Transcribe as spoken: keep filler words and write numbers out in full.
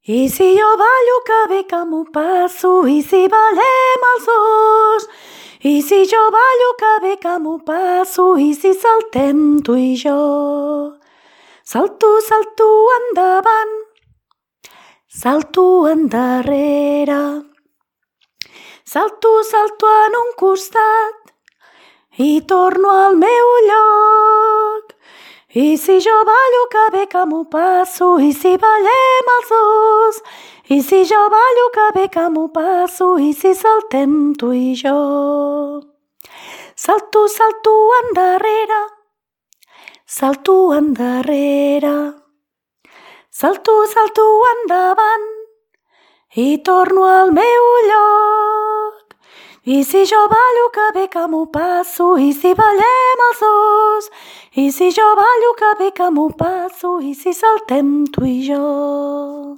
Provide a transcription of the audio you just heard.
I si jo ballo que bé que m'ho passo, i si ballem els dos. I si jo ballo que bé que m'ho passo, i si saltem tu i jo. Salto, salto endavant, salto endarrere. Salto, salto en un costat i torno al meu lloc. I si jo ballo que bé que m'ho passo, i si ballem els dos. I si jo ballo que bé que m'ho passo, i si saltem tu i jo. Salto, salto endarrere, salto endarrere. Salto, salto endavant i torno al meu lloc. I si jo ballo que bé que m'ho passo, i si ballem els dos. I si jo ballo que bé que m'ho passo, i si saltem tu i jo.